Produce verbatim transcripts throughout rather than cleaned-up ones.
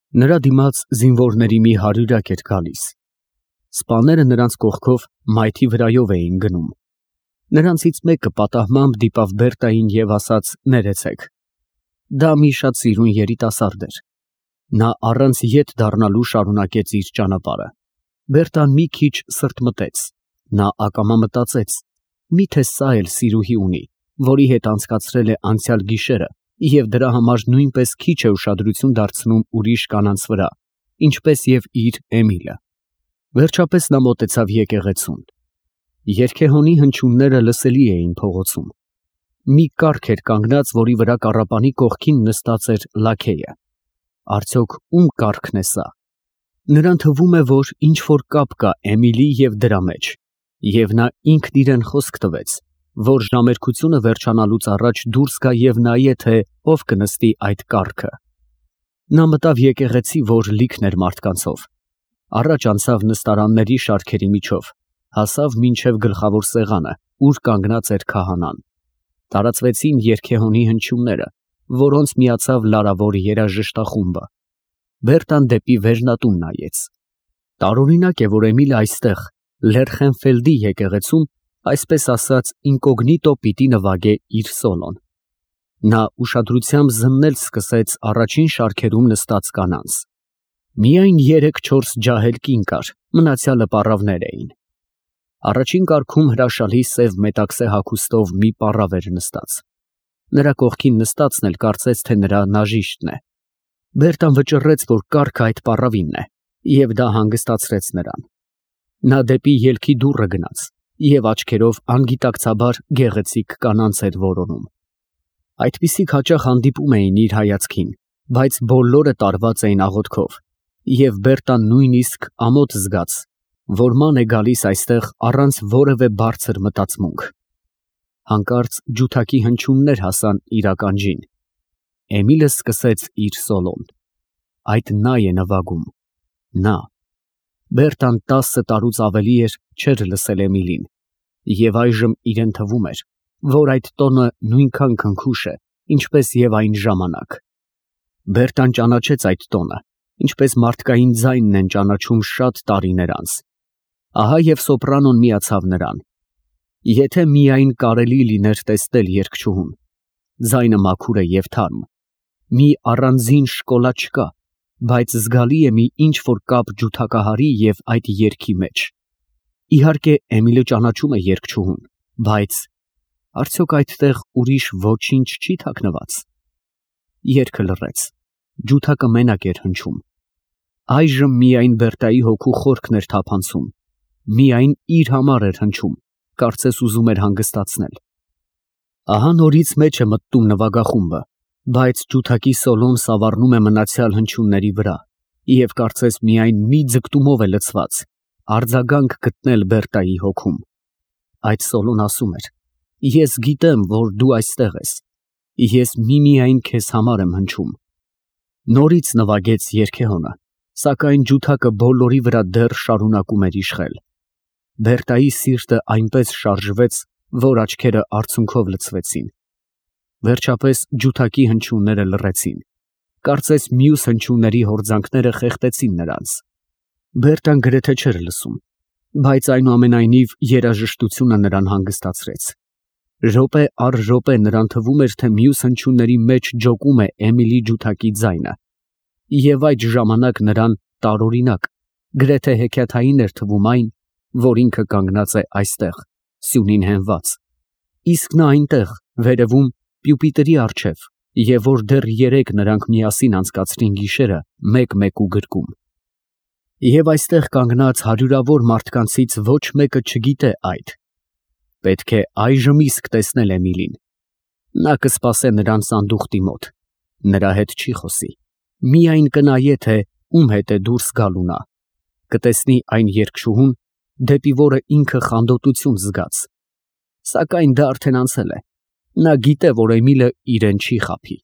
Նրա դիմաց զինվորների մի հարյուրյակ էր գալիս։ Սպաները նրանց կողքով մայթի վրայով էին գնում։ Նրանցից մեկը պատահմամբ դիպավ Բերտային և ասաց. «Ներեցեք»։ Դա մի շատ սիրուն երիտասարդ էր։ Նա առանց ետ դառնալու շարունակեց իր ճանապարհը։ Բերտան մի քիչ սրտմտեց։ Նա ակամա մտածեց. միթե սա էլ սիրուհի ունի, որի հետ անցկացրել է անցյալ գիշերը և դրա համար նույնպես քիչ է ուշադրություն դարձնում ուրիշ կանանց վրա, ինչպես և իր Էմիլը։ Վերջապես նա մոտեցավ եկեղեցուն։ Երգեհոնի հնչյունները լսելի էին փողոցում։ Մի կառք էր կանգնած, որի վրա կառապանի կողքին նստած էր լաքեյը։ Արդյոք ում կառքն է սա։ Նրան թվում է, որ ինչ֊որ կապ կա Էմիլի և դրա մեջ, և նա ինքն իրեն խոսք տվեց, որ ժամերկությունը վերջանալուց առաջ դուրս գա և նայե, թե ով կնստի այդ կառքը։ Նա մտավ եկեղեցի, որ լիքն էր մարդկանցով, առաջ անցավ նստարանների շարքերի միջով, հասավ մինչև գլխավոր սեղանը, ուր կանգնած էր քահանան։ Տարածվեցին երգեհոնի հնչյունները, որոնց միացավ լարավոր երաժշտախումբը։ Բերտան դեպի վերնատուն նայեց։ Տարօրինակ է, որ Էմիլը այստեղ, Լերխենֆելդի եկեղեցում, այսպես ասած, ինկոգնիտո պիտի նվագե իր սոլոն։ Նա ուշադրությամբ զննել սկսեց առաջին շարքերում նստած կանանց։ Միայն երեք֊չորս ջահել կին կար, մնացյալը պառավներ էին։ Առաջին կառքում հրաշալի սև մետաքսե հագուստով մի պառավ էր նստած։ Նրա կողքին նստածն էլ կարծեց, թե նրա նաժիշտն է։ Բերտան վճռեց, որ կառքը այդ պառավինն է, և դա հանգստացրեց նրան։ Նա դեպի ելքի դուռը գնաց և աչքերով անգիտակցաբար գեղեցիկ կանանց էր որոնում։ Այդպիսիք հաճախ հանդիպում էին իր հայացքին, բայց բոլորը տարված էին աղոթքով, և Բերտան նույնիսկ ամոթ զգաց, որ ման է գալիս այստեղ առանց որևէ բարձր մտածմունք։ Հանկարծ ջութակի հնչյուններ հասան իր ականջին։ Էմիլը սկսեց իր սոլոն։ Այդ նա է նվագում։ Նա։ Բերտան տասը տարուց ավելի էր չէր լսել Էմիլին, և այժմ իրեն թվում էր, որ այդ տոնը նույնքան քնքուշ է, ինչպես և այն ժամանակ։ Բերտան ճանաչեց այդ տոնը, ինչպես մարդկային ձայնն են ճանաչում շատ տարիներ անց։ Ահա և սոպրանոն միացավ նրան։ Եթե միայն կարելի լիներ տեսնել երգչուհուն։ Ձայնը մաքուր է և թարմ։ Մի առանձին շկոլա չկա, բայց զգալի է մի ինչ֊որ կապ ջութակահարի և այդ երգի մեջ։ Իհարկե, Էմիլը ճանաչում է երգչուհուն, բայց… արդյոք այդտեղ ուրիշ ոչինչ չի թաքնված։ Երգը լռեց։ Ջութակը մենակ էր հնչում։ Այժմ միայն Բերտայի հոգու խորքն էր թափանցում։ Միայն իր համար էր հնչում, կարծես ուզում էր հանգստացնել։ Ահա նորից մեջ է մտնում նվագախումբը, բայց ջութակի սոլոն սավառնում է մնացյալ հնչյունների վրա, և կարծես միայն մի ձգտումով է լցված՝ արձագանք գտնել Բերտայի հոգում։ Այդ սոլոն ասում էր. «Ես գիտեմ, որ դու այստեղ ես։ Ես միմիայն քեզ համար եմ հնչում»։ Նորից նվագեց երգեհոնը, սակայն ջութակը բոլորի վրա դեռ շարունակում էր իշխել։ Բերտայի սիրտը այնպես շարժվեց, որ աչքերը արցունքով լցվեցին։ Վերջապես ջութակի հնչյունները լռեցին։ Կարծես մյուս հնչյունների հորձանքները խեղդեցին նրանց։ Բերտան գրեթե չէր լսում, բայց այնուամենայնիվ երաժշտությունը նրան հանգստացրեց։ Րոպե առ րոպե նրան թվում էր, թե մյուս հնչյունների մեջ ջոկում է Էմիլի ջութակի ձայնը, և այդ ժամանակ նրան տարօրինակ, գրեթե հեքիաթային էր թվում այն, որ ինքը կանգնած է այստեղ, սյունին հենված, իսկ նա այնտեղ, վերևում, պյուպիտրի առջև, և որ դեռ երեկ նրանք միասին անցկացրին գիշերը մեկ֊մեկու գրկում։ Եվ այստեղ կանգնած հարյուրավոր մարդկանցից ոչ մեկը չգիտե այդ։ Պետք է այժմ իսկ տեսնել Էմիլին։ Նա կսպասե նրան սանդուղտի մոտ, նրա հետ չի խոսի, միայն կնայե, թե ում հետ է դուրս գալու նա, կտեսնի այն երգչուհուն, դեպի որը ինքը խանդոտություն զգաց։ Սակայն դա արդեն անցել է։ Նա գիտե, որ Էմիլը իրեն չի խաբի։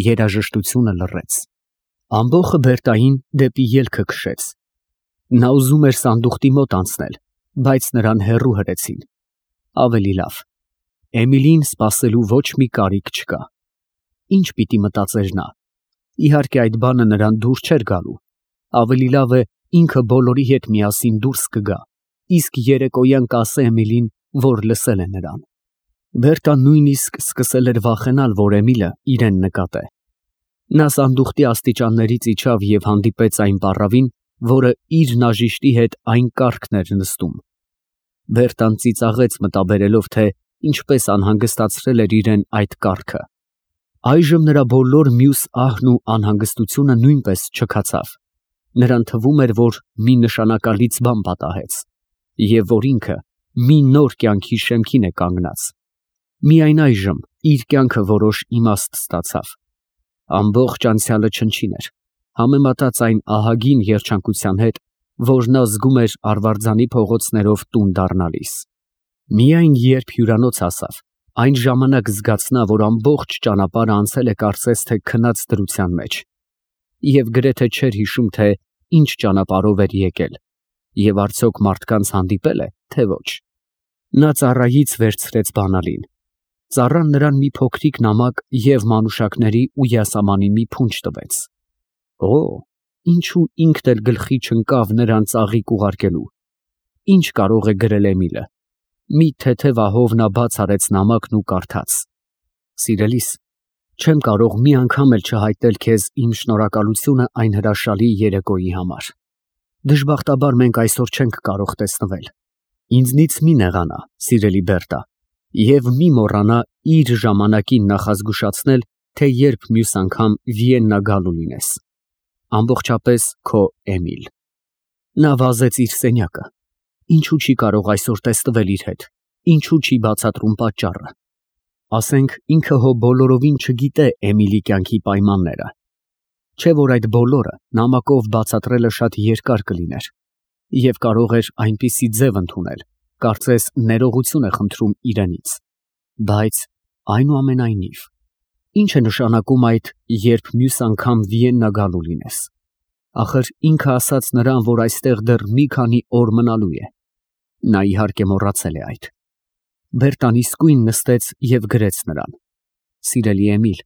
Երաժշտությունը լռեց։ Ամբոխը Բերտային դեպի ելքը քշեց։ Նա ուզում էր սանդուղտի մոտ անցնել, բայց նրան հեռու հրեցին։ Ավելի լավ։ Էմիլին սպասելու ոչ մի կարիք չկա։ Ինչ պիտի մտածեր նա։ Իհարկե այդ բանը նրան դուր չէր գալու։ Ավելի լավ է ինքը բոլորի հետ միասին դուրս կգա, իսկ երեկոյան կասե Էմիլին, որ լսել է նրան։ Բերտան նույնիսկ սկսել էր վախենալ, որ Էմիլը իրեն նկատե։ Նա սանդուղքի աստիճաններից իջավ և հանդիպեց այն պառավին, որը իր նաժիշտի հետ այն կառքն էր նստում։ Բերտան ծիծաղեց մտաբերելով, թե ինչպես անհանգստացրել էր իրեն այդ կառքը։ Այժմ նրա բոլոր մյուս ահն ու անհանգստությունը նույնպես չքացավ։ Նրան թվում էր, որ մի նշանակալից բան պատահեց, և որ ինքը մի նոր կյանքի շեմքին է կանգնած։ Միայն այժմ իր կյանքը որոշ իմաստ ստացավ։ Ամբողջ անցյալը չնչին էր, համեմատած այն ահագին երջանկության հետ, որ նա զգում էր Արվարձանի փողոցներով տուն դառնալիս։ Միայն երբ հյուրանոց հասավ, այն ժամանակ զգացնա, որ ամբողջ ճանապարհը անցել է կարծես թե քնած դրության մեջ, և գրեթե չէր հիշում, թե ինչ ճանապարհով էր եկել, և արդյոք մարդկանց հանդիպել է, թե ոչ։ Նա ծառայից վերցրեց բանալին։ Ծառան նրան մի փոքրիկ նամակ և մանուշակների ու յասամանի մի փունջ տվեց։ Օ, ինչու ինքն էլ գլխի չընկավ նրան ծաղիկ ուղարկելու։ Ինչ կարող է գրել Էմիլը։ Մի թեթև ահով նա բաց արեց նամակն ու կարդաց. Սիրելիս, չեմ կարող մի անգամ էլ չհայտնել քեզ իմ շնորհակալությունը այն հրաշալի երեկոյի համար։ Դժբախտաբար մենք այսօր չենք կարող տեսնվել։ Ինձնից մի նեղանա, սիրելի Բերտա, և մի մոռանա իր ժամանակին նախազգուշացնել, թե երբ մյուս անգամ Վիեննա գալու լինես։ Ամբողջապես քո Էմիլ։ Նա վազեց իր սենյակը։ Ինչու չի կարող այսօր տեսնվել իր հետ, ինչու չի բացատրում պատճառը։ Ասենք ինքը հո բոլորովին չգիտե Էմիլի կյանքի պայմանները։ Չէ որ այդ բոլորը նամակով բացատրելը շատ երկար կլիներ, և կարող էր այնպիսի ձև ընդունել, կարծես ներողություն է խնդրում իրենից։ Բայց այնուամենայնիվ, ինչ է նշանակում այդ, երբ մյուս անգամ Վիեննա գալու լինես։ Ախր ինքը ասաց նրան, որ այստեղ դեռ մի քանի օր մնալու է։ Նա իհարկե մոռացել է այդ։ Բերտան իսկույն նստեց և գրեց նրան. Սիրելի Էմիլ,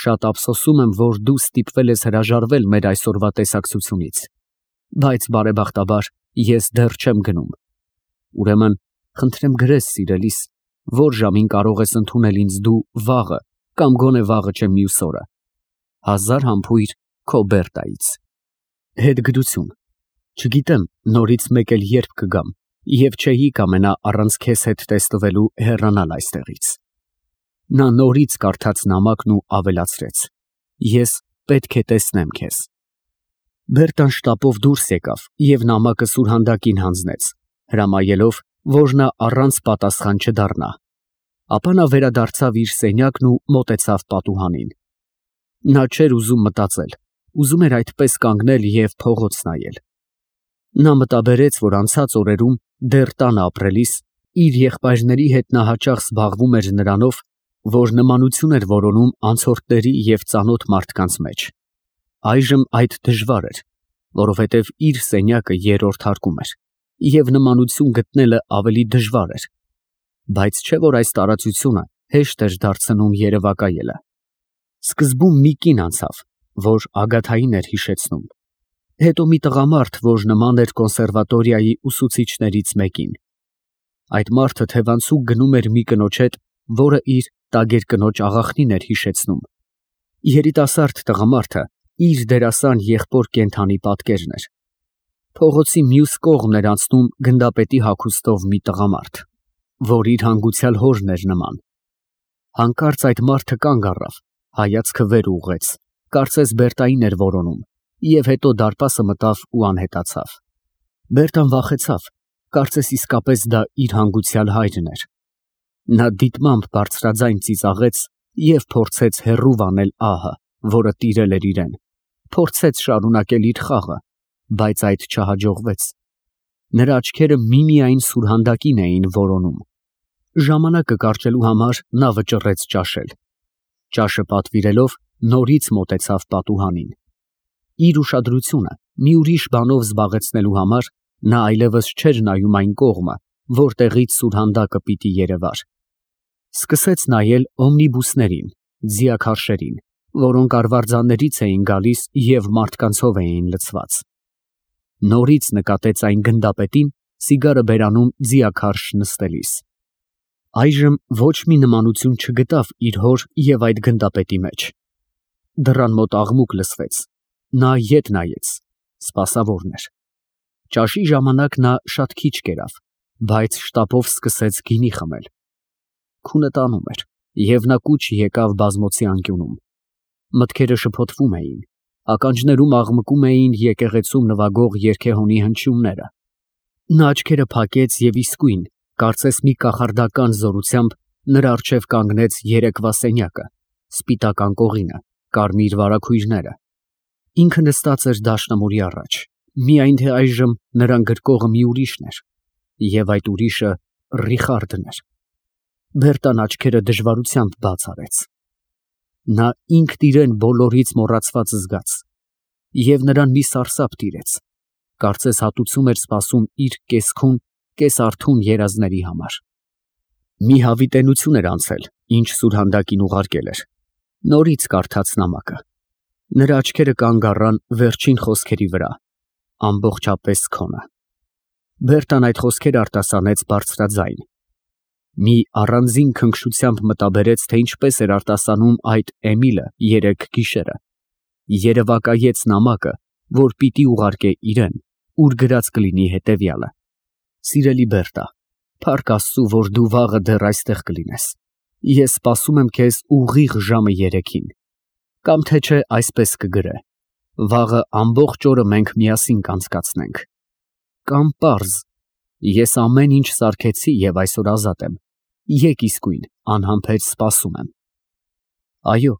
շատ ափսոսում եմ, որ դու ստիպվել ես հրաժարվել մեր այսօրվա տեսակցությունից, բայց բարեբախտաբար ես դեռ չեմ գնում։ Ուրեմն, խնդրեմ գրես, սիրելիս, որ ժամին կարող ես ընդունել ինձ դու վաղը կամ գոնե վաղը չէ մյուս օրը։ Հազար համբույր քո Բերտայից։ Հետգրություն։ Չգիտեմ նորից մեկ էլ երբ կգամ, և չէի կամենա առանց քեզ հետ տեսնվելու հեռանալ այստեղից։ Նա նորից կարդաց նամակն ու ավելացրեց. Ես պետք է տեսնեմ քեզ։ Բերտան շտապով դուրս եկավ և նամակը սուրհանդակին հանձնեց, հրամայելով, որ նա առանց պատասխան չդառնա։ Ապա նա վերադարձավ իր սենյակն ու մոտեցավ պատուհանին։ Նա չէր ուզում մտածել, ուզում էր այդպես կանգնել և փողոց նայել։ Նա մտաբերեց, որ անցած օրերում դեռ տանը ապրելիս իր եղբայրների հետ նա հաճախ զբաղվում էր նրանով, որ նմանություն էր որոնում անցորդների և ծանոթ մարդկանց մեջ։ Այժմ այդ դժվար էր, որովհետև իր սենյակը երրորդ հարկում էր, և նմանություն գտնելը ավելի դժվար էր։ Բայց չէ որ այս տարածությունը հեշտ էր դարձնում երևակայելը։ Սկզբում մի կին անցավ, որ Ագաթային էր հիշեցնում, հետո մի տղամարդ, որ նման էր կոնսերվատորիայի ուսուցիչներից մեկին։ Այդ մարդը թևանցուկ գնում էր մի կնոջ հետ, որը իր տագերկնոջ աղախնին էր հիշեցնում։ Երիտասարդ տղամարդը իր դերասան եղբոր կենդանի պատկերն էր։ Փողոցի մյուս կողմն էր անցնում գնդապետի հագուստով մի տղամարդ, որ իր հանգուցյալ հորն էր նման։ Հանկարծ այդ մարդը կանգ առավ, հայացքը վեր ուղղեց, կարծես Բերտային էր որոնում, և հետո դարպասը մտավ ու անհետացավ։ Բերտան վախեցավ, կարծես իսկապես դա իր հանգուցյալ հայրն էր։ Նա դիտմամբ բարձրաձայն ծիծաղեց և փորձեց հեռու վանել ահը, որը տիրել էր իրեն, փորձեց շարունակել իր խաղը, բայց այդ չհաջողվեց։ Նրա աչքերը միմիայն սուրհանդակին էին որոնում։ Ժամանակը կարճելու համար նա վճռեց ճաշել։ Ճաշը պատվիրելով, նորից մոտեցավ պատուհանին։ Իր ուշադրությունը մի ուրիշ բանով զբաղեցնելու համար նա այլևս չէր նայում այն կողմը, որտեղից սուրհանդակը պիտի երևար։ Սկսեց նայել օմնիբուսներին, ձիաքարշերին, որոնք արվարձաններից էին գալիս և մարդկանցով էին լցված։ Նորից նկատեց այն գնդապետին սիգարը բերանում ձիաքարշ նստելիս։ Այժմ ոչ մի նմանություն չգտավ իր հոր և այդ գնդապետի մեջ։ Դռան մոտ աղմուկ լսվեց, նա ետ նայեց, սպասավորն էր։ Ճաշի ժամանակ նա շատ քիչ կերավ, բայց շտապով սկսեց գինի խմել։ Քունը տանում էր, և նա կուչ եկավ բազմոցի անկյունում։ Մտքերը շփոթվում էին, ականջներում աղմկում էին եկեղեցում նվագող երգեհոնի հնչյունները։ Նա աչքերը փակեց և իսկույն, կարծես մի կախարդական զորությամբ, նրա առջև կանգնեց երեկվա սենյակը, սպիտակ անկողինը, կարմիր վարագույրները։ Ինքը նստած էր դաշնամուրի առաջ, միայն թե այժմ նրան գրկողը մի ուրիշն էր, և այդ ուրիշը Ռիխարդն էր։ Բերտան աչքերը դժվարությամբ բաց արեց։ Նա ինքն իրեն բոլորից մոռացված զգաց, և նրան մի սարսափ տիրեց, կարծես հատուցում էր սպասում իր կես֊քուն, կես֊արթուն երազների համար։ Մի հավիտենություն էր անցել, ինչ սուրհանդակին ուղարկել էր, նորից կարդաց նամակը։ Նրա աչքերը կանգ առան վերջին խոսքերի վրա. ամբողջապես քոնը։ Բերտան այդ խոսքերը արտասանեց բարձրաձայն։ Մի առանձին քնքշությամբ մտաբերեց, թե ինչպես էր արտասանում այդ Էմիլը երեկ գիշերը։ Երևակայեց նամակը, որ պիտի ուղարկե իրան, ուր գրած կլինի հետևյալը. Սիրելի Բերտա, փառք Աստծու, որ դու վաղը դեռ այստեղ կլինես։ Ես սպասում եմ քեզ ուղիղ ժամը երեքին։ Կամ թե չէ այսպես կգրե. վաղը ամբողջ օրը մենք միասին կանցկացնենք։ Կամ պարզ. ես ամեն ինչ սարքեցի և այսօր ազատ եմ։ Եկ իսկույն, անհամբեր սպասում եմ։ Այո,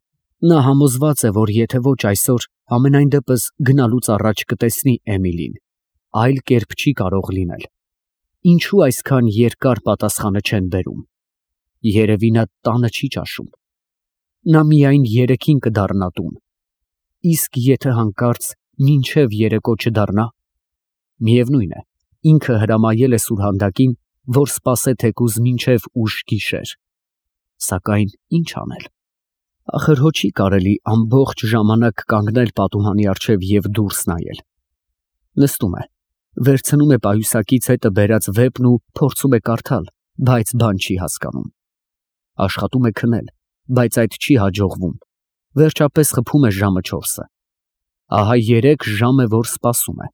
նա համոզված է, որ եթե ոչ այսօր, համենայն դեպս գնալուց առաջ կտեսնի Էմիլին, այլ կերպ չի կարող լինել։ Ինչո՞ւ այսքան երկար պատասխանը չեն բերում։ Երևի նա տանը չի ճաշում։ Նա միայն երեքին կդառնա տուն։ Իսկ եթե հանկարծ մինչև երեկո չդառնա։ Միևնույն է, ինքը հրամայել է սուրհանդակին, որ սպասե թեկուզ մինչև ուշ գիշեր։ Սակայն ի՞նչ անել։ Ախր հո չի կարելի ամբողջ ժամանակ կանգնել պատուհանի առջև և դուրս նայել։ Նստում է, վերցնում է պայուսակից հետը բերած վեպն ու փորձում է կարդալ, բայց բան չի հասկանում։ Աշխատում է քնել, բայց այդ չի հաջողվում։ Վերջապես խփում է ժամը չորսը։ Ահա երեք ժամ է, որ սպասում է։